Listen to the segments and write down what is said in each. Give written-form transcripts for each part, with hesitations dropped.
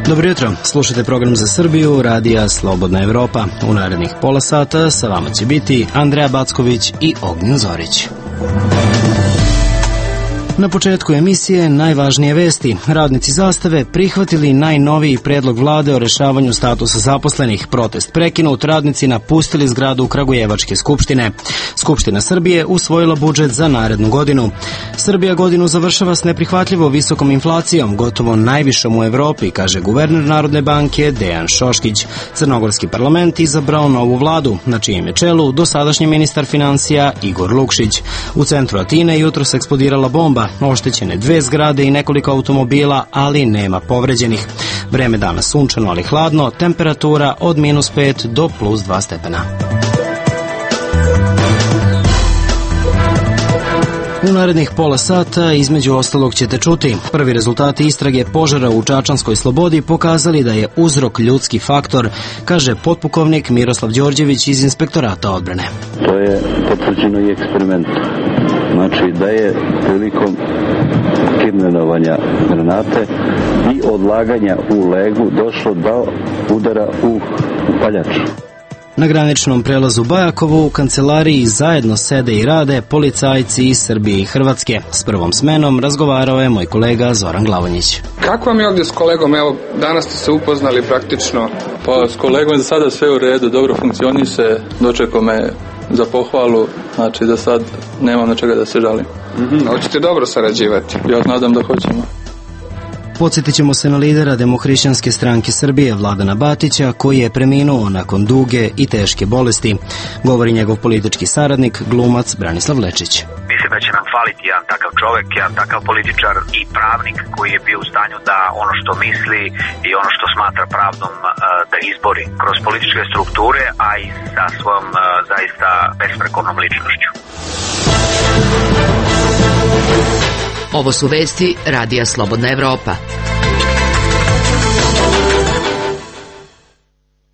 Dobro jutro, slušajte program za Srbiju, radija Slobodna Evropa. U narednih pola sata sa vama će biti Andreja Backović i Ognjen Zorić. Na početku emisije najvažnije vesti. Radnici Zastave prihvatili najnoviji predlog vlade o rešavanju statusa zaposlenih. Protest prekinut, radnici napustili zgradu Kragujevačke skupštine. Skupština Srbije usvojila budžet za narednu godinu. Srbija godinu završava s neprihvatljivo visokom inflacijom, gotovo najvišom u Evropi, kaže guverner Narodne banke Dejan Šoškić. Crnogorski parlament izabrao novu vladu, na čijem je čelu dosadašnji ministar finansija Igor Lukšić. U centru Atine jutros eksplodirala bomba, oštećene 2 zgrade i nekoliko automobila, ali nema povređenih. Vreme danas sunčano, ali hladno, temperatura od -5 do +2 stepena. U narednih pola sata između ostalog ćete čuti. Prvi rezultati istrage požara u Čačanskoj Slobodi pokazali da je uzrok ljudski faktor, kaže potpukovnik Miroslav Đorđević iz Inspektorata odbrane. To je potvrđeno i eksperimentom. Znači da je prilikom kirnenovanja granate i odlaganja u legu došlo do udara u upaljač. Na graničnom prelazu Bajakovo u kancelariji zajedno sede i rade policajci iz Srbije i Hrvatske. S prvom smenom razgovarao je moj kolega Zoran Glavonjić. Kako vam je ovdje s kolegom? Evo, danas ste se upoznali praktično. Pa s kolegom je za sada sve u redu, dobro funkcioniše, dočekao me za pohvalu, znači da sad nemam na čega da se žalim. Hoćete dobro sarađivati? Ja nadam da hoćemo. Podsjetit ćemo se na lidera Demohrišćanske stranke Srbije, Vladana Batića, koji je preminuo nakon duge i teške bolesti. Govori njegov politički saradnik, glumac Branislav Lečić. Mislim da će nam faliti jedan takav čovek, jedan takav političar i pravnik koji je bio u stanju da ono što misli i ono što smatra pravdom da izbori kroz političke strukture, a i sa svojom zaista besprekornom ličnošću. Ovo su vesti Radija Slobodna Evropa.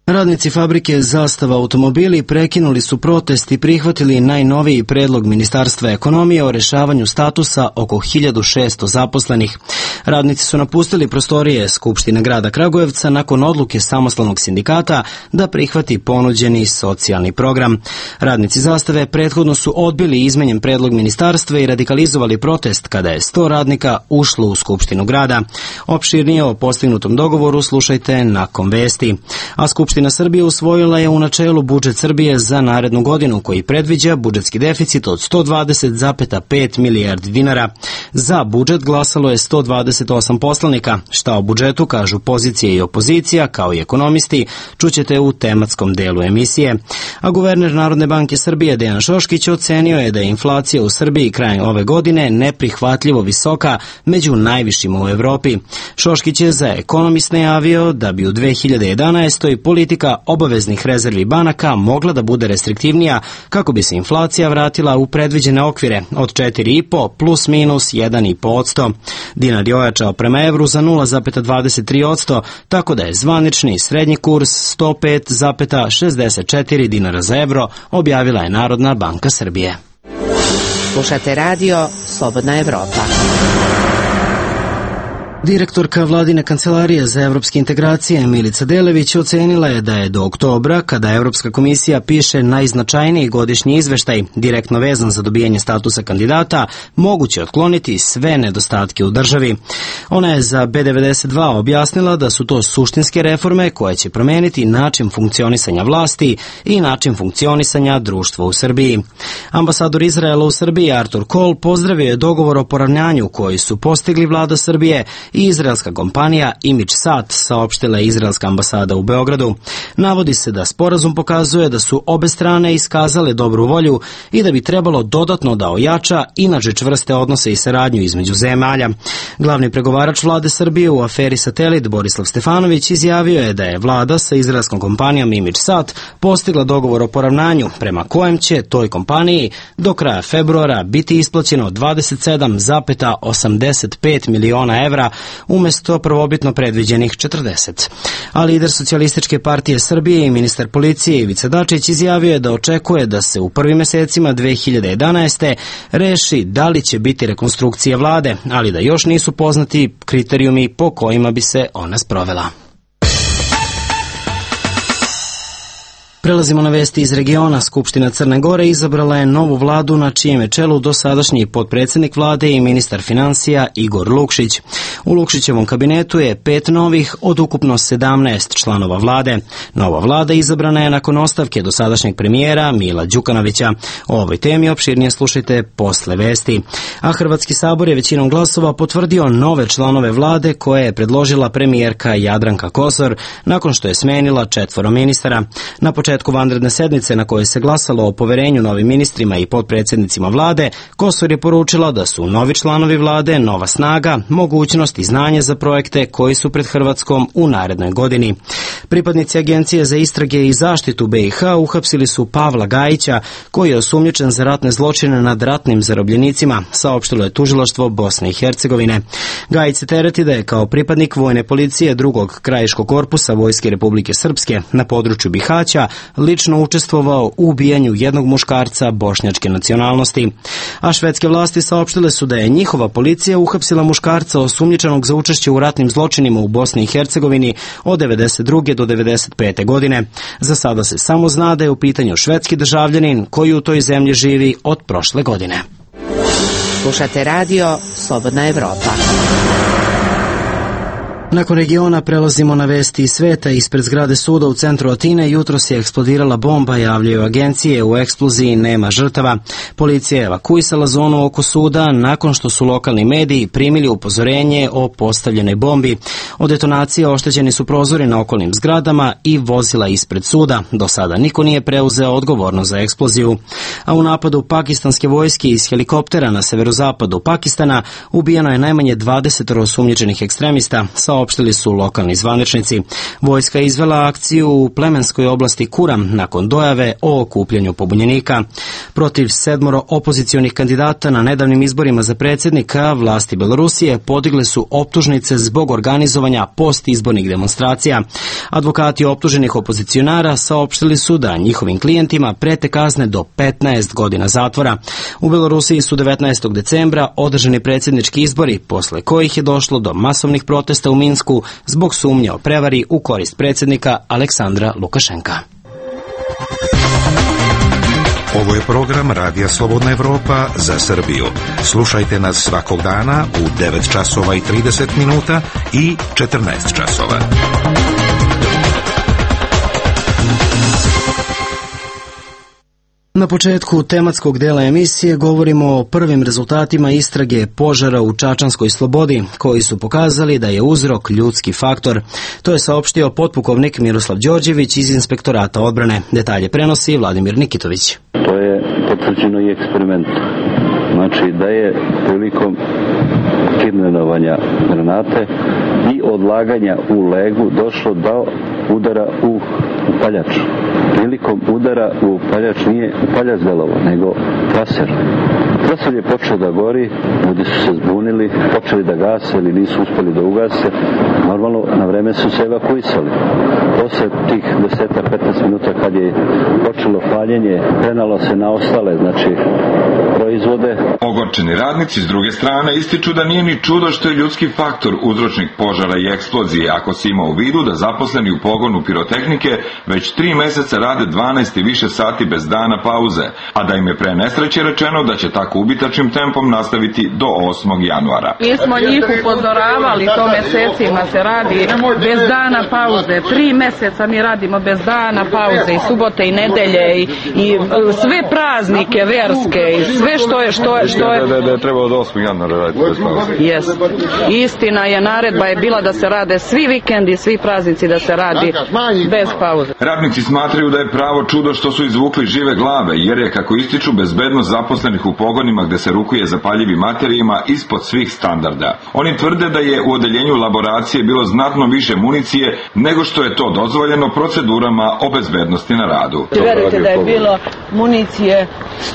Radnici fabrike Zastava automobili prekinuli su protest i prihvatili najnoviji predlog Ministarstva ekonomije o rešavanju statusa oko 1600 zaposlenih. Radnici su napustili prostorije Skupštine grada Kragujevca nakon odluke samostalnog sindikata da prihvati ponuđeni socijalni program. Radnici Zastave prethodno su odbili izmenjen predlog ministarstva i radikalizovali protest kada je 100 radnika ušlo u Skupštinu grada. Opširnije o postignutom dogovoru slušajte nakon vesti. A Skupština Srbije usvojila je u načelu budžet Srbije za narednu godinu koji predviđa budžetski deficit od 120,5 milijardi dinara. Za budžet glasalo je 128 poslanika. Šta o budžetu kažu pozicija i opozicija, kao i ekonomisti, čućete u tematskom delu emisije. A guverner Narodne banke Srbije Dejan Šoškić ocenio je da je inflacija u Srbiji krajem ove godine neprihvatljivo visoka, među najvišima u Evropi. Šoškić je za Ekonomist najavio da bi u 2011. politika obaveznih rezervi banaka mogla da bude restriktivnija kako bi se inflacija vratila u predviđene okvire od 4,5 plus minus 1,5%. Dinar je ojačao prema evru za 0,23%, tako da je zvanični srednji kurs 105,64 dinara za evro, objavila je Narodna banka Srbije. Slušate radio Slobodna Evropa. Direktorka Vladine kancelarije za evropske integracije Milica Delević ocenila je da je do oktobra, kada Evropska komisija piše najznačajniji godišnji izveštaj, direktno vezan za dobijanje statusa kandidata, moguće otkloniti sve nedostatke u državi. Ona je za B92 objasnila da su to suštinske reforme koje će promeniti način funkcionisanja vlasti i način funkcionisanja društva u Srbiji. Ambasador Izraela u Srbiji Artur Kol pozdravio je dogovor o poravnanju koji su postigli vlada Srbije i izraelska kompanija ImageSat, saopštila je izraelska ambasada u Beogradu. Navodi se da sporazum pokazuje da su obe strane iskazale dobru volju i da bi trebalo dodatno da ojača inače čvrste odnose i saradnju između zemalja. Glavni pregovarač vlade Srbije u aferi Satelit Borislav Stefanović izjavio je da je vlada sa izraelskom kompanijom ImageSat postigla dogovor o poravnanju prema kojem će toj kompaniji do kraja februara biti isplaćeno 27,85 miliona evra umjesto prvobitno predviđenih 40. A lider Socijalističke partije Srbije i ministar policije Ivica Dačić izjavio je da očekuje da se u prvim mesecima 2011. reši da li će biti rekonstrukcija vlade, ali da još nisu poznati kriterijumi po kojima bi se ona sprovela. Prelazimo na vesti iz regiona. Skupština Crne Gore izabrala je novu vladu na čijem je čelu dosadašnji potpredsjednik vlade i ministar financija Igor Lukšić. U Lukšićevom kabinetu je 5 novih od ukupno 17 članova vlade. Nova vlada izabrana je nakon ostavke dosadašnjeg premijera Mila Đukanovića. O ovoj temi opširnije slušajte posle vesti. A Hrvatski sabor je većinom glasova potvrdio nove članove vlade koje je predložila premijerka Jadranka Kosor nakon što je smenila 4 ministara. Na početku vanredne sednice na kojoj se glasalo o poverenju novim ministrima i potpredsjednicima vlade, Kosor je poručila da su novi članovi vlade nova snaga, mogućnost i znanje za projekte koji su pred Hrvatskom u narednoj godini. Pripadnici Agencije za istrage i zaštitu BiH uhapsili su Pavla Gajića, koji je osumnjičen za ratne zločine nad ratnim zarobljenicima, saopštilo je tužilaštvo Bosne i Hercegovine. Gajić se tereti da je kao pripadnik vojne policije 2. krajiškog korpusa Vojske Republike Srpske na području Bihaća lično učestvovao u ubijanju jednog muškarca bošnjačke nacionalnosti. A švedske vlasti saopštile su da je njihova policija uhapsila muškarca osumnjičenog za učešće u ratnim zločinima u Bosni i Hercegovini od 92. do 95. godine. Za sada se samo zna da je u pitanju švedski državljanin koji u toj zemlji živi od prošle godine. Slušate radio Slobodna Evropa. Nakon regiona prelazimo na vesti iz sveta. Ispred zgrade suda u centru Atine jutros je eksplodirala bomba, javljaju agencije. U eksploziji nema žrtava. Policija je evakuisala zonu oko suda nakon što su lokalni mediji primili upozorenje o postavljenoj bombi. Od detonacije oštećeni su prozori na okolnim zgradama i vozila ispred suda. Do sada niko nije preuzeo odgovornost za eksploziju. A u napadu pakistanske vojske iz helikoptera na severozapadu Pakistana ubijeno je najmanje 20 osumnjičenih ekstremista, saopštili su lokalni zvaničnici. Vojska je izvela akciju u plemenskoj oblasti Kuram nakon dojave o okupljanju pobunjenika. Protiv 7 opozicionih kandidata na nedavnim izborima za predsjednika vlasti Belorusije podigle su optužnice zbog organizovanja postizbornih demonstracija. Advokati optuženih opozicionara saopštili su da njihovim klijentima prete kazne do 15 godina zatvora. U Belorusiji su 19. decembra održani predsjednički izbori, posle kojih je došlo do masovnih protesta u Minsku zbog sumnje o prevari u korist predsjednika Aleksandra Lukašenka. Ovo je program Radija Slobodna Evropa za Srbiju. Slušajte nas svakog dana u 9 časova i 30 minuta i 14 časova. Na početku tematskog dela emisije govorimo o prvim rezultatima istrage požara u Čačanskoj Slobodi, koji su pokazali da je uzrok ljudski faktor. To je saopštio potpukovnik Miroslav Đorđević iz Inspektorata odbrane. Detalje prenosi Vladimir Nikitović. To je potvrđeno i eksperimentom. Znači da je prilikom kidnapovanja granate i odlaganja u legu došlo do udara u upaljač. Prilikom udara u upaljač nije upaljač delovao, nego traser. Traser je počeo da gori, ljudi su se zbunili, počeli da gase ili nisu uspeli da ugase. Normalno, na vreme su se evakuisali. Posle tih 10-15 minuta kad je počelo paljenje, prenalo se na ostale, znači, proizvode. Ogorčeni radnici s druge strane ističu da nije ni čudo što je ljudski faktor uzročnik požara i eksplozije, ako se ima u vidu da zaposleni u pogonu pirotehnike već 3 meseca rade 12 i više sati bez dana pauze, a da im je pre nesreće rečeno da će tako ubitačnim tempom nastaviti do 8. januara. Mi smo njih upozoravali, to mesecima se radi bez dana pauze. 3 meseca mi radimo bez dana pauze i subote i nedelje i sve praznike verske i sve što je... Da je trebalo do 8. januara raditi bez pauze. Yes. Istina je, naredba je bila da se rade svi vikendi, svi praznici da se radi bez pauze. pauze. Radnici smatraju da je pravo čudo što su izvukli žive glave, jer je, kako ističu, bezbednost zaposlenih u pogonima gde se rukuje zapaljivim materijima ispod svih standarda. Oni tvrde da je u odeljenju laboracije bilo znatno više municije nego što je to dozvoljeno procedurama o bezbednosti na radu. Verujte da je bilo municije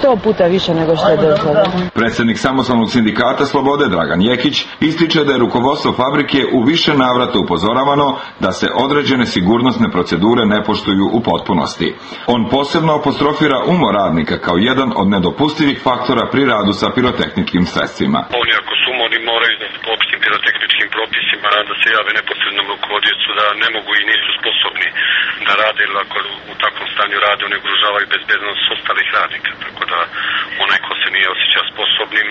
100 puta više nego što je dozvoljeno. Predsjednik Samostalnog sindikata Slobode Dragan Jekić ističe da je rukovodstvo fabrike u više navrata upozoravano da se određene sigurnosne procedure ne poštuju u potpunosti. On posebno apostrofira umor radnika kao jedan od nedopustivih faktora pri radu sa pirotehničkim sredstvima. Oni ako su umorni moraju da po opštim pirotehničkim propisima da se jave neposrednom rukovodiocu da ne mogu i nisu sposobni da rade, ili ako u takvom stanju rade oni ugrožavaju bezbednost ostalih radnika, tako da onaj ko se nije osjećao sposobnim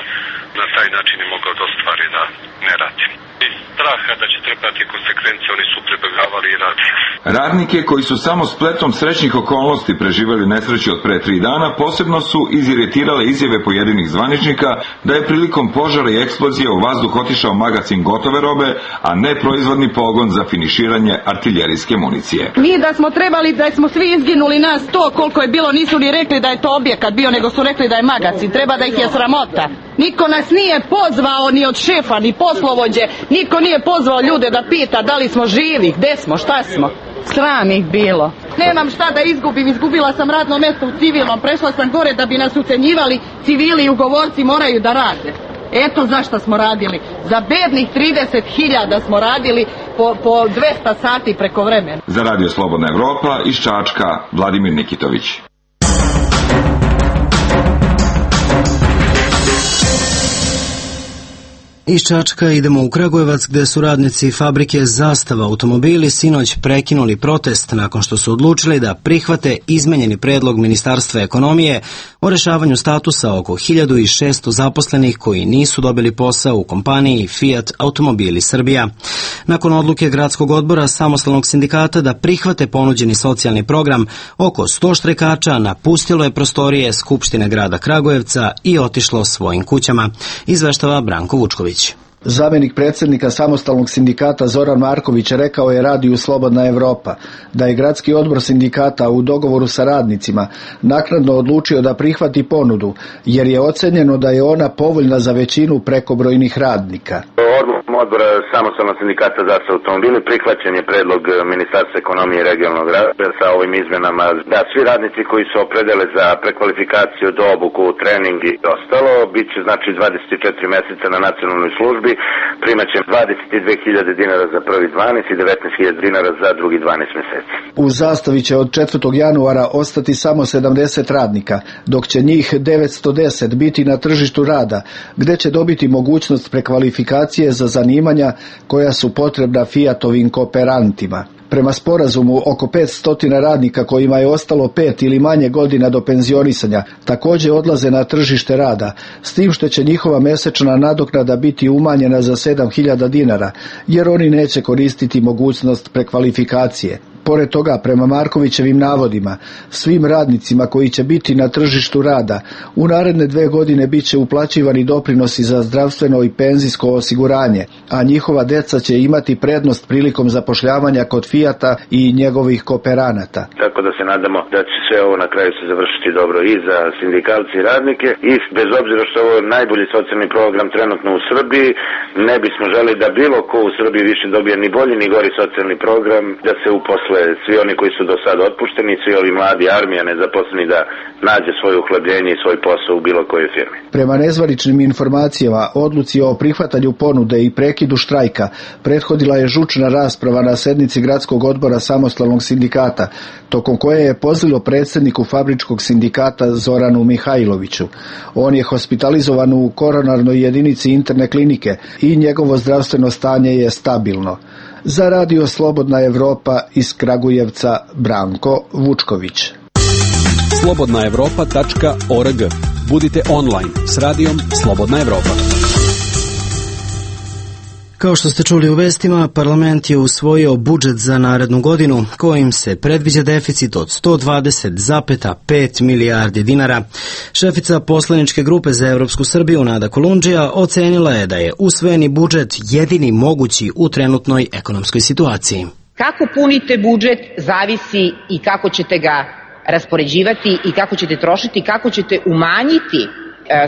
na taj način je mogao da ostvari da ne radi. Iz straha da će trpati konsekvencije oni su pribegavali i radili. Radnike koji su samo spletom srećnih okolnosti preživeli nesreću od pre 3 dana posebno su iziritirale izjave pojedinih zvaničnika da je prilikom požara i eksplozije u vazduh otišao magacin gotove robe, a ne proizvodni pogon za finiširanje artiljerijske municije. Mi da smo trebali, da smo svi izginuli nas to koliko je bilo, nisu ni rekli da je to objekat bio, nego su rekli da je magacin. Treba da ih je sramota. Niko nas nije pozvao ni od šefa, ni poslovođe, niko nije pozvao ljude da pita da li smo živi, gde smo, šta smo. Sram ih bilo. Nemam šta da izgubim, izgubila sam radno mjesto u civilnom, prešla sam gore da bi nas ucenjivali, civili i ugovorci moraju da rade. Eto zašto smo radili. Za bednih 30.000 smo radili po 200 sati preko vremena. Za Radio Slobodna Evropa iz Čačka, Vladimir Nikitović. Iz Čačka idemo u Kragujevac, gde su radnici fabrike Zastava automobili sinoć prekinuli protest nakon što su odlučili da prihvate izmenjeni predlog Ministarstva ekonomije o rešavanju statusa oko 1600 zaposlenih koji nisu dobili posao u kompaniji Fiat Automobili Srbija. Nakon odluke Gradskog odbora Samostalnog sindikata da prihvate ponuđeni socijalni program, oko 100 štrajkača napustilo je prostorije Skupštine grada Kragujevca i otišlo svojim kućama, izveštava Branko Vučković. Zamenik predsjednika Samostalnog sindikata Zoran Marković rekao je radiju Slobodna Evropa da je Gradski odbor sindikata u dogovoru sa radnicima naknadno odlučio da prihvati ponudu, jer je ocenjeno da je ona povoljna za većinu prekobrojnih radnika. Odbora Samostalnog sindikata Zastava automobili prihvaćen je predlog Ministarstva ekonomije i regionalnog razvoja sa ovim izmenama da svi radnici koji se opredele za prekvalifikaciju, do obuku, trening i ostalo, bit će znači 24 meseca na nacionalnoj službi, primaće 22.000 dinara za prvi 12 i 19.000 dinara za drugi 12 meseci. U Zastavi će od 4. januara ostati samo 70 radnika, dok će njih 910 biti na tržištu rada, gde će dobiti mogućnost prekvalifikacije za zanimanja koja su potrebna Fiatovim kooperantima. Prema sporazumu, oko 500 radnika kojima je ostalo 5 ili manje godina do penzionisanja također odlaze na tržište rada, s tim što će njihova mesečna nadoknada biti umanjena za 7.000 dinara, jer oni neće koristiti mogućnost prekvalifikacije. Pored toga, prema Markovićevim navodima, svim radnicima koji će biti na tržištu rada u naredne 2 godine bit će uplaćivani doprinosi za zdravstveno i penzijsko osiguranje, a njihova deca će imati prednost prilikom zapošljavanja kod Fiata i njegovih kooperanata. Tako da se nadamo da će sve ovo na kraju se završiti dobro i za sindikalci i radnike, i bez obzira što ovo je najbolji socijalni program trenutno u Srbiji, ne bismo želi da bilo ko u Srbiji više dobije ni bolji ni gori socijalni program, da se uposle svi oni koji su do sada otpušteni, svi ovi mladi, armija nezaposleni, da nađe svoje uhlebljenje i svoj posao u bilo kojoj firmi. Prema nezvaničnim informacijama, odluci o prihvatanju ponude i prekidu štrajka prethodila je žučna rasprava na sednici Gradskog odbora Samostalnog sindikata, tokom koje je pozvalo predsjedniku fabričkog sindikata Zoranu Mihajloviću. On je hospitalizovan u koronarnoj jedinici interne klinike i njegovo zdravstveno stanje je stabilno. Za Radio Slobodna Evropa iz Kragujevca, Branko Vučković. slobodnaevropa.org. Budite online s radijom Slobodna Evropa. Kao što ste čuli u vestima, parlament je usvojio budžet za narednu godinu, kojim se predviđa deficit od 120,5 milijardi dinara. Šefica poslaničke grupe za Evropsku Srbiju, Nada Kolundžija, ocenila je da je usvojeni budžet jedini mogući u trenutnoj ekonomskoj situaciji. Kako punite budžet zavisi i kako ćete ga raspoređivati i kako ćete trošiti, kako ćete umanjiti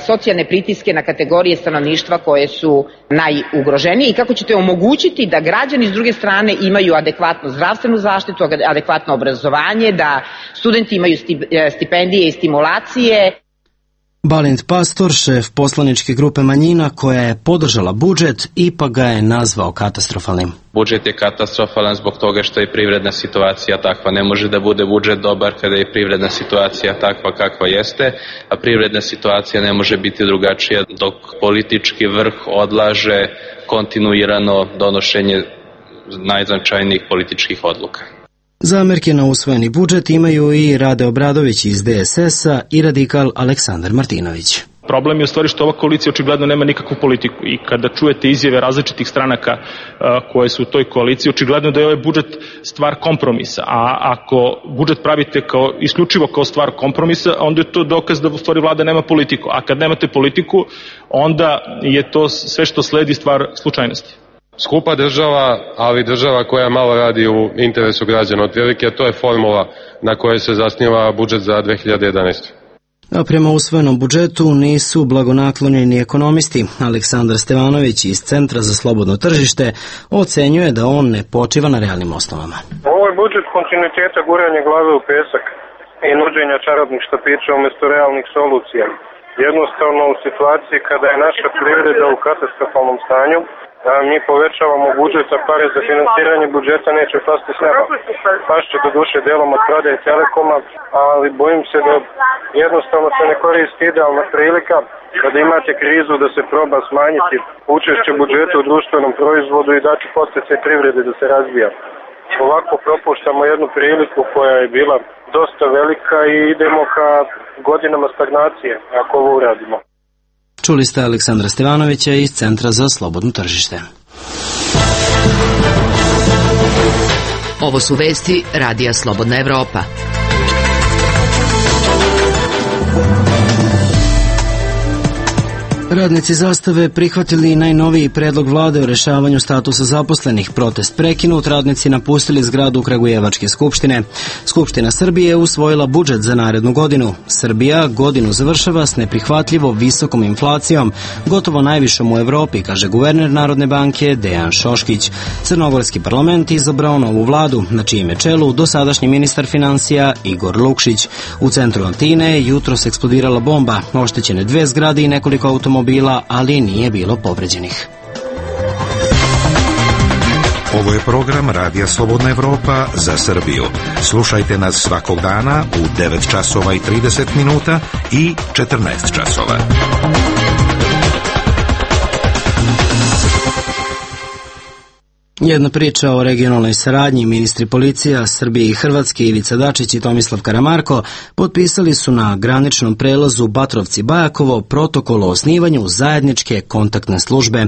socijalne pritiske na kategorije stanovništva koje su najugroženije i kako ćete omogućiti da građani s druge strane imaju adekvatnu zdravstvenu zaštitu, adekvatno obrazovanje, da studenti imaju stipendije i stimulacije. Balint Pastor, šef poslaničke grupe manjina koja je podržala budžet, ipak ga je nazvao katastrofalnim. Budžet je katastrofalan zbog toga što je privredna situacija takva. Ne može da bude budžet dobar kada je privredna situacija takva kakva jeste, a privredna situacija ne može biti drugačija dok politički vrh odlaže kontinuirano donošenje najznačajnijih političkih odluka. Zamerke na usvojeni budžet imaju i Rade Obradović iz DSS-a i radikal Aleksandar Martinović. Problem je u stvari što ova koalicija očigledno nema nikakvu politiku i kada čujete izjave različitih stranaka koje su u toj koaliciji, očigledno da je ovaj budžet stvar kompromisa, a ako budžet pravite isključivo kao stvar kompromisa, onda je to dokaz da u stvari vlada nema politiku, a kad nemate politiku, onda je to sve što sledi stvar slučajnosti. Skupa država, ali država koja malo radi u interesu građana. Otprilike to je formula na kojoj se zasniva budžet za 2011. A prema usvojenom budžetu nisu blagonaklonjeni ekonomisti. Aleksandar Stevanović iz Centra za slobodno tržište ocenjuje da on ne počiva na realnim osnovama. Ovo je budžet kontinuiteta guranja glave u pesak i nuđenja čarobnih štapića umjesto realnih solucija. Jednostavno u situaciji kada je naša privreda u katastrofalnom stanju, mi povećavamo budžet, a pare za finansiranje budžeta neće pasti s neba. Pašće do duše delom od prodaje Telekoma, ali bojim se da jednostavno se ne koristi idealna prilika kada imate krizu da se proba smanjiti učešće budžeta u društvenom proizvodu i dati podsticaj privrede da se razvija. Ovako propuštamo jednu priliku koja je bila dosta velika i idemo ka godinama stagnacije ako ovo uradimo. Čuli ste Aleksandra Stevanovića iz Centra za slobodno tržište. Ovo su vesti Radija Slobodna Evropa. Radnici Zastave prihvatili najnoviji predlog vlade o rešavanju statusa zaposlenih. Protest prekinut, radnici napustili zgradu Kragujevačke skupštine. Skupština Srbije je usvojila budžet za narednu godinu. Srbija godinu završava s neprihvatljivo visokom inflacijom, gotovo najvišom u Evropi, kaže guverner Narodne banke Dejan Šoškić. Crnogorski parlament izabrao novu vladu, na čijem je čelu dosadašnji ministar finansija Igor Lukšić. U centru Atine je jutros eksplodirala bomba, oštećene 2 zgrade i nekoliko automobila, ali nije bilo povređenih. Ovo je program Radija Slobodna Evropa za Srbiju. Slušajte nas svakog dana u 9 časova i 30 minuta i 14 časova. Jedna priča o regionalnoj saradnji. Ministri policija Srbije i Hrvatske Ivica Dačić i Tomislav Karamarko potpisali su na graničnom prelazu Batrovci-Bajakovo protokol o osnivanju zajedničke kontaktne službe.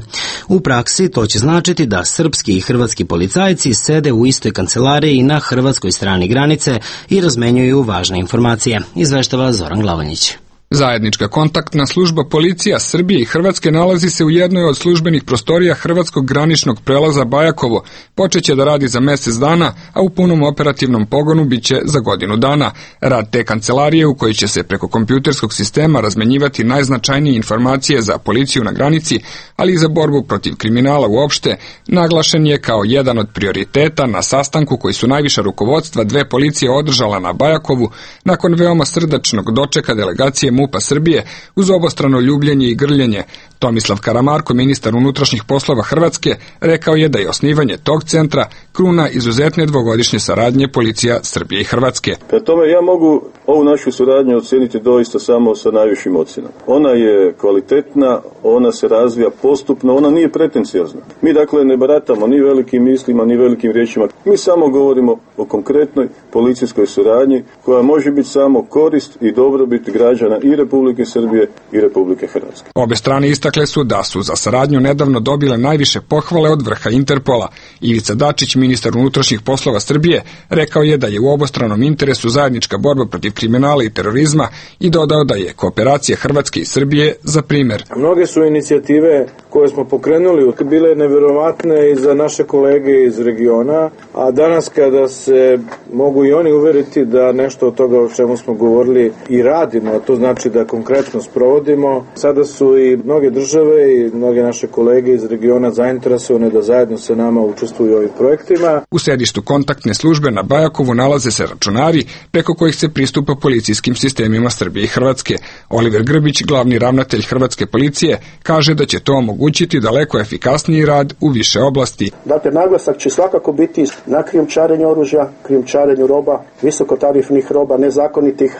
U praksi to će značiti da srpski i hrvatski policajci sede u istoj kancelariji na hrvatskoj strani granice i razmenjuju važne informacije. Izveštava Zoran Glavonjić. Zajednička kontaktna služba policija Srbije i Hrvatske nalazi se u jednoj od službenih prostorija hrvatskog graničnog prelaza Bajakovo. Počeće da radi za mjesec dana, a u punom operativnom pogonu biće za godinu dana. Rad te kancelarije u kojoj će se preko kompjuterskog sistema razmenjivati najznačajnije informacije za policiju na granici, ali i za borbu protiv kriminala uopšte, naglašen je kao jedan od prioriteta na sastanku koji su najviša rukovodstva 2 policije održala na Bajakovu nakon veoma srdačnog dočeka delegacije MUP-a Srbije uz obostrano ljubljenje i grljenje. Tomislav Karamarko, ministar unutrašnjih poslova Hrvatske, rekao je da je osnivanje tog centra kruna izuzetne dvogodišnje saradnje policija Srbije i Hrvatske. Prema tome ja mogu ovu našu suradnju oceniti doista samo sa najvišim ocjenama. Ona je kvalitetna, ona se razvija postupno, ona nije pretenciozna. Mi dakle ne baratamo ni velikim mislima, ni velikim riječima. Mi samo govorimo o konkretnoj policijskoj suradnji koja može biti samo korist i dobrobit građana i Republike Srbije i Republike Hrvatske. Obe strane istakle su da su za saradnju nedavno dobile najviše pohvale od vrha Interpola. Ivica Dačić, ministar unutrašnjih poslova Srbije, rekao je da je u obostranom interesu zajednička borba protiv kriminala i terorizma i dodao da je kooperacija Hrvatske i Srbije za primjer. Mnoge su inicijative koje smo pokrenuli bile nevjerovatne i za naše kolege iz regiona A danas kada se mogu i oni uveriti da nešto od toga o čemu smo govorili i radimo, a to znači da konkretno sprovodimo, sada su i mnoge države i mnoge naše kolege iz regiona zainteresovane da zajedno sa nama učestvuju u ovim projektima. U sedištu kontaktne službe na Bajakovu nalaze se računari preko kojih se pristupa policijskim sistemima Srbije i Hrvatske. Oliver Grbić, glavni ravnatelj Hrvatske policije, kaže da će to omogućiti daleko efikasniji rad u više oblasti. Dakle, naglasak će svakako biti na krijumčarenju oružja, krijumčarenju roba, visokotarifnih roba, nezakonitih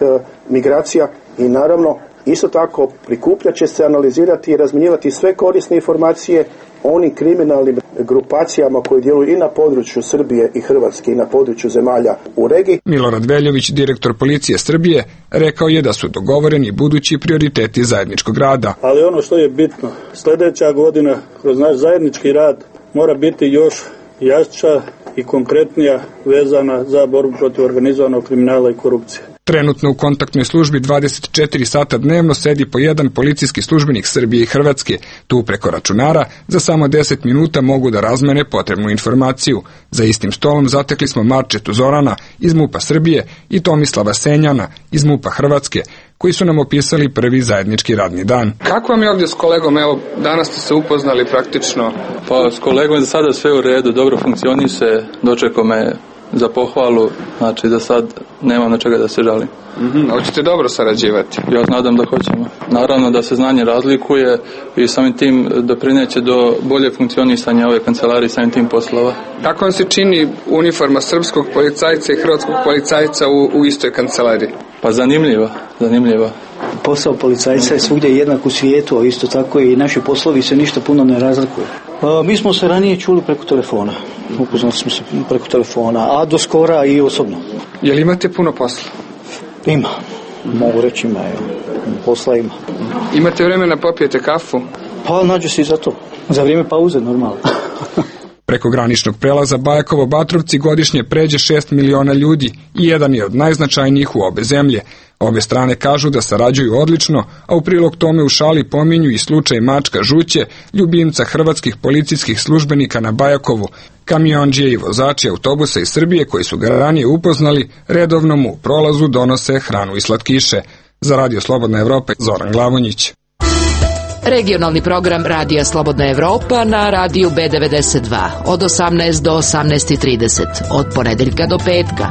migracija i naravno isto tako prikupljat će se, analizirati i razmjenjivati sve korisne informacije o onim kriminalnim grupacijama koji djeluju i na području Srbije i Hrvatske i na području zemalja u regiji. Milorad Veljović, direktor policije Srbije, rekao je da su dogovoreni budući prioriteti zajedničkog rada. Ali ono što je bitno, sljedeća godina kroz naš zajednički rad mora biti još jača i konkretnija vezana za borbu protiv organizovanog kriminala i korupcije. Trenutno u kontaktnoj službi 24 sata dnevno sedi po jedan policijski službenik Srbije i Hrvatske. Tu preko računara za samo 10 minuta mogu da razmene potrebnu informaciju. Za istim stolom zatekli smo Marčetu Zorana iz MUP-a Srbije i Tomislava Senjana iz MUP-a Hrvatske, koji su nam opisali prvi zajednički radni dan. Kako vam je ovdje s kolegom? Evo, danas ste se upoznali praktično. Pa s kolegom je za sada sve u redu, dobro funkcioniše, dočekao me za pohvalu, znači da sad nemam na čega da se žalim. Hoćete dobro sarađivati? Ja nadam da hoćemo. Naravno da se znanje razlikuje i samim tim doprineće do bolje funkcionisanja ove kancelarije, samim tim poslova. Kako vam se čini uniforma srpskog policajca i hrvatskog policajca u istoj kancelariji? Pa zanimljiva. Posao policajca je svugdje jednak u svijetu, a isto tako i naši poslovi se ništa puno ne razlikuju. Mi smo se ranije čuli preko telefona. Upoznali smo se preko telefona, a do skora i osobno. Jel imate puno posla? Ima. Mogu reći ima. Posla ima. Imate vremena popijete kafu? Pa nađe se i za to. Za vrijeme pauze normalno. Preko graničnog prelaza Bajakovo-Batrovci godišnje pređe 6 miliona ljudi i jedan je od najznačajnijih u obe zemlje. Obe strane kažu da sarađuju odlično, a u prilog tome u šali pominju i slučaj Mačka Žuće, ljubimca hrvatskih policijskih službenika na Bajakovu. Kamiondžije i vozači autobusa iz Srbije koji su ga ranije upoznali, redovno mu u prolazu donose hranu i slatkiše. Za Radio Slobodna Evropa, Zoran Glavonjić. Regionalni program Radija Slobodna Evropa na radiju B92 od 18 do 18:30 od ponedeljka do petka.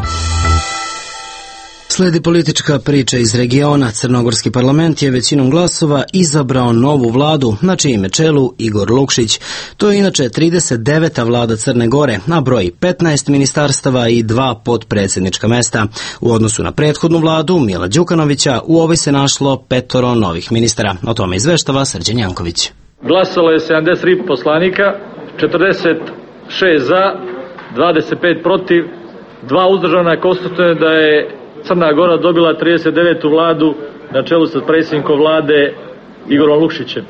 Sledi politička priča iz regiona. Crnogorski parlament je većinom glasova izabrao novu vladu, na čijem je čelu Igor Lukšić. To je inače 39. vlada Crne Gore, a broji 15 ministarstava i 2 potpredsjednička mesta. U odnosu na prethodnu vladu Mila Đukanovića, u ovoj se našlo 5 novih ministara. O tome izveštava Srđan Janković. Glasalo je 73 poslanika, 46 za, 25 protiv, 2 uzdržana. Konstatuje da je Crna Gora dobila 39. vladu na čelu sa predsjednikom vlade Igorom Lukšićem.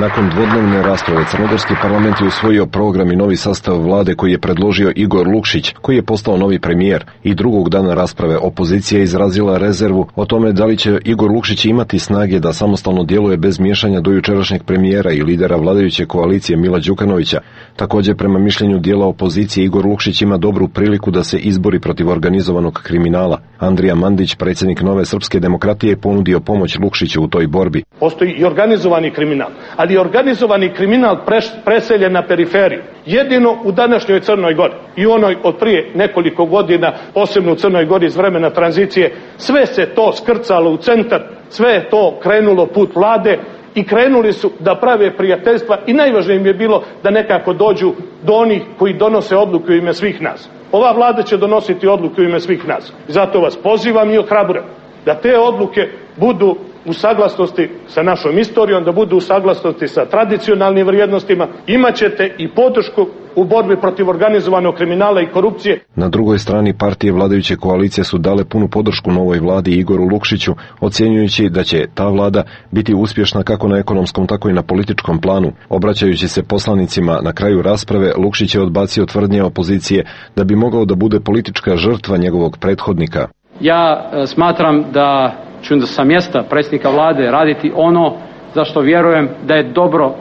Nakon dvodnevne rasprave Crnogorski parlament je usvojio program i novi sastav vlade koji je predložio Igor Lukšić, koji je postao novi premijer. I drugog dana rasprave opozicija je izrazila rezervu o tome da li će Igor Lukšić imati snage da samostalno djeluje bez miješanja do jučerašnjeg premijera i lidera vladajuće koalicije Mila Đukanovića. Također, prema mišljenju dijela opozicije, Igor Lukšić ima dobru priliku da se izbori protiv organizovanog kriminala. Andrija Mandić, predsjednik Nove srpske demokratije, je ponudio pomoć Lukšiću u toj borbi. Postoji i organizovani kriminal, ali je organizovani kriminal preseljen na periferiju. Jedino u današnjoj Crnoj Gori i onoj od prije nekoliko godina, posebno u Crnoj Gori iz vremena tranzicije, sve se to skrcalo u centar, sve je to krenulo put vlade i krenuli su da prave prijateljstva i najvažnije im je bilo da nekako dođu do onih koji donose odluke u ime svih nas. Ova vlada će donositi odluke u ime svih nas. Zato vas pozivam i ohrabrujem da te odluke budu u saglasnosti sa našom istorijom, da budu u saglasnosti sa tradicionalnim vrijednostima. Imaćete i podršku u borbi protiv organizovanog kriminala i korupcije. Na drugoj strani partije vladajuće koalicije su dale punu podršku novoj vladi Igoru Lukšiću, ocjenjujući da će ta vlada biti uspješna kako na ekonomskom, tako i na političkom planu. Obraćajući se poslanicima na kraju rasprave, Lukšić je odbacio tvrdnje opozicije da bi mogao da bude politička žrtva njegovog prethodnika. Ja smatram da ću sa mjesta predsjednika vlade raditi ono za što vjerujem da je dobro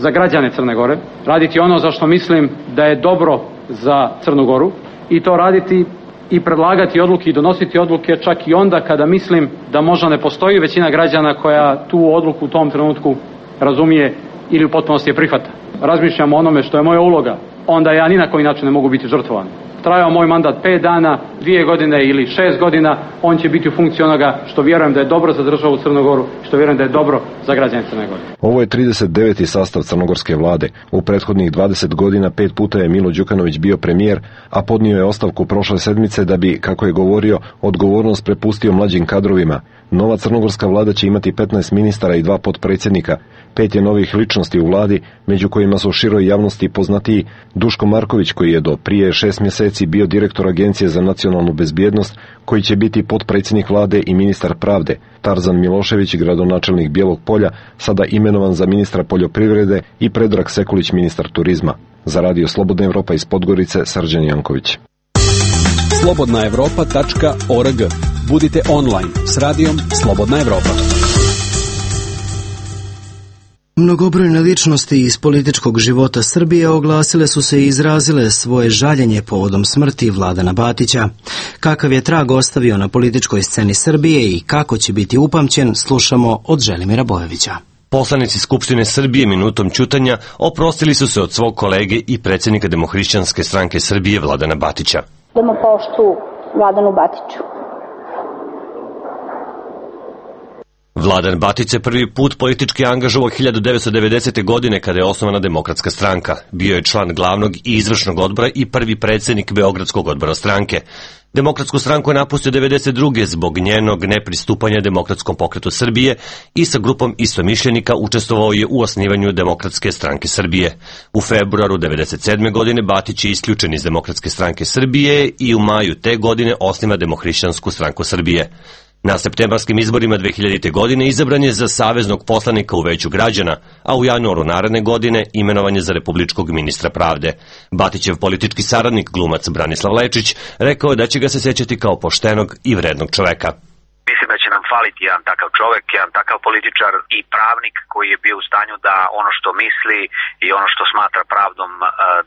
za građane Crne Gore, raditi ono za što mislim da je dobro za Crnu Goru i to raditi i predlagati odluke i donositi odluke čak i onda kada mislim da možda ne postoji većina građana koja tu odluku u tom trenutku razumije ili u potpunosti je prihvata. Razmišljam o onome što je moja uloga, onda ja ni na koji način ne mogu biti žrtvovan. Trajao moj mandat 5 dana, 2 godine ili 6 godina, on će biti u funkciji onoga što vjerujem da je dobro za državu Crnu Goru, što vjerujem da je dobro za građane Crne Gore. Ovo je 39. sastav crnogorske vlade. U prethodnih 20 godina 5 puta je Milo Đukanović bio premijer, a podnio je ostavku prošle sedmice da bi, kako je govorio, odgovornost prepustio mlađim kadrovima. Nova crnogorska vlada će imati 15 ministara i 2 potpredsjednika. 5 je novih ličnosti u vladi, među kojima su široj javnosti poznatiji Duško Marković, koji je do prije 6 mjeseci bio direktor Agencije za nacionalnu bezbjednost, koji će biti potpredsjednik vlade i ministar pravde, Tarzan Milošević, gradonačelnik Bijelog Polja, sada imenovan za ministra poljoprivrede, i Predrag Sekulić, ministar turizma. Za Radio Slobodna Evropa iz Podgorice, Srđan Janković. slobodnaevropa.org. Budite online s radijom Slobodna Evropa. Mnogobrojne ličnosti iz političkog života Srbije oglasile su se i izrazile svoje žaljenje povodom smrti Vladana Batića. Kakav je trag ostavio na političkoj sceni Srbije i kako će biti upamćen, slušamo od Želimira Bojovića. Poslanici Skupštine Srbije minutom ćutanja oprostili su se od svog kolege i predsjednika Demohrišćanske stranke Srbije Vladana Batića. Damo poštu Vladanu Batiću. Vladan Batić se prvi put politički angažovao 1990. godine kada je osnovana Demokratska stranka. Bio je član glavnog i izvršnog odbora i prvi predsjednik Beogradskog odbora stranke. Demokratsku stranku je napustio 1992. zbog njenog nepristupanja Demokratskom pokretu Srbije i sa grupom istomišljenika učestvovao je u osnivanju Demokratske stranke Srbije. U februaru 1997. godine Batić je isključen iz Demokratske stranke Srbije i u maju te godine osniva Demohrišćansku stranku Srbije. Na septembarskim izborima 2000. godine izabran je za saveznog poslanika u Veću građana, a u januaru naredne godine imenovan je za republičkog ministra pravde. Batićev politički saradnik, glumac Branislav Lečić, rekao je da će ga se sećati kao poštenog i vrednog čoveka. Mislim da će nam faliti jedan takav čovek, jedan takav političar i pravnik koji je bio u stanju da ono što misli i ono što smatra pravdom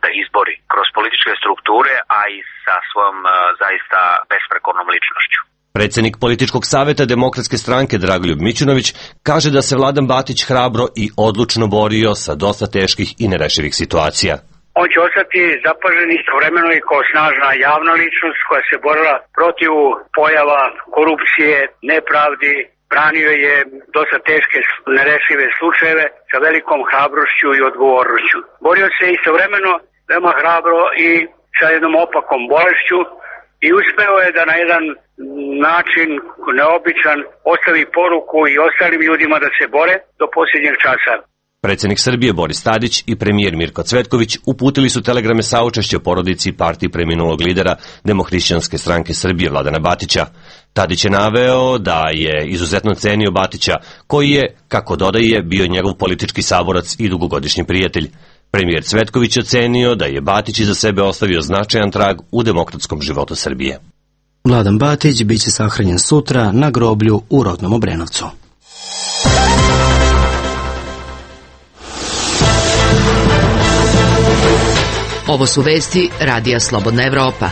da izbori kroz političke strukture, a i sa svojom zaista besprekornom ličnošću. Predsjednik političkog saveta Demokratske stranke Dragoljub Mićunović kaže da se Vladan Batić hrabro i odlučno borio sa dosta teških i nerešivih situacija. On će ostati zapažen istovremeno i kao snažna javna ličnost koja se borila protiv pojava korupcije, nepravdi, branio je dosta teške nerešive slučajeve sa velikom hrabrošću i odgovornošću. Borio se istovremeno veoma hrabro i sa jednom opakom bolešću i uspeo je da na jedan način neobičan ostavi poruku i ostalim ljudima da se bore do posljednjeg časa. Predsjednik Srbije Boris Tadić i premijer Mirko Cvetković uputili su telegrame saučešća porodici i partiji preminulog lidera Demohrišćanske stranke Srbije Vladana Batića. Tadić je naveo da je izuzetno cenio Batića, koji je, kako dodaje, bio njegov politički saborac i dugogodišnji prijatelj. Premijer Cvetković ocenio da je Batić iza sebe ostavio značajan trag u demokratskom životu Srbije. Vladan Batić biće sahranjen sutra na groblju u rodnom Obrenovcu. Ovo su vesti Radija Slobodna Evropa.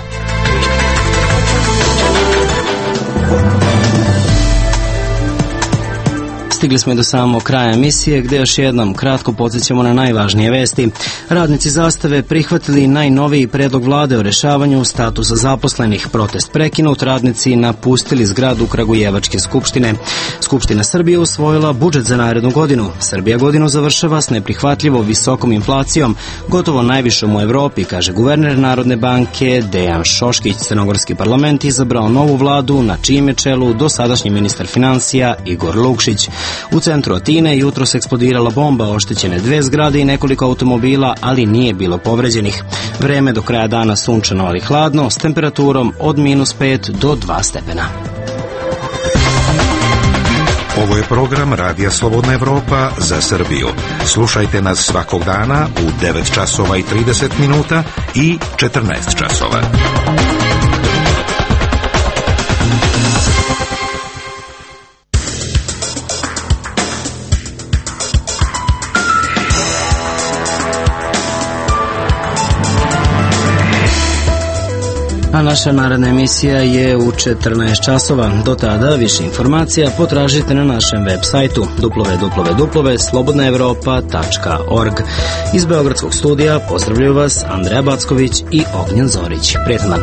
Stigli smo i do samog kraja emisije, gdje još jednom kratko podsjećamo na najvažnije vesti. Radnici Zastave prihvatili najnoviji predlog vlade o rešavanju statusa zaposlenih. Protest prekinut, radnici napustili zgradu Kragujevačke skupštine. Skupština Srbije usvojila budžet za narednu godinu. Srbija godinu završava s neprihvatljivo visokom inflacijom, gotovo najvišom u Evropi, kaže guverner Narodne banke Dejan Šoškić. Crnogorski parlament izabrao novu vladu, na čijem je čelu dosadašnji ministar financija Igor Lukšić. U centru Atine jutros eksplodirala bomba, oštećene 2 zgrade i nekoliko automobila, ali nije bilo povređenih. Vreme do kraja dana sunčano, ali hladno, s temperaturom od -5 do 2 stepena. Ovo je program Radija Slobodna Evropa za Srbiju. Slušajte nas svakog dana u 9 časova i 30 minuta i 14 časova. A naša naredna emisija je u 14 časova. Do tada više informacija potražite na našem web sajtu www.slobodnaevropa.org. Iz Beogradskog studija pozdravljaju vas Andreja Backović i Ognjen Zorić. Prijetan dan.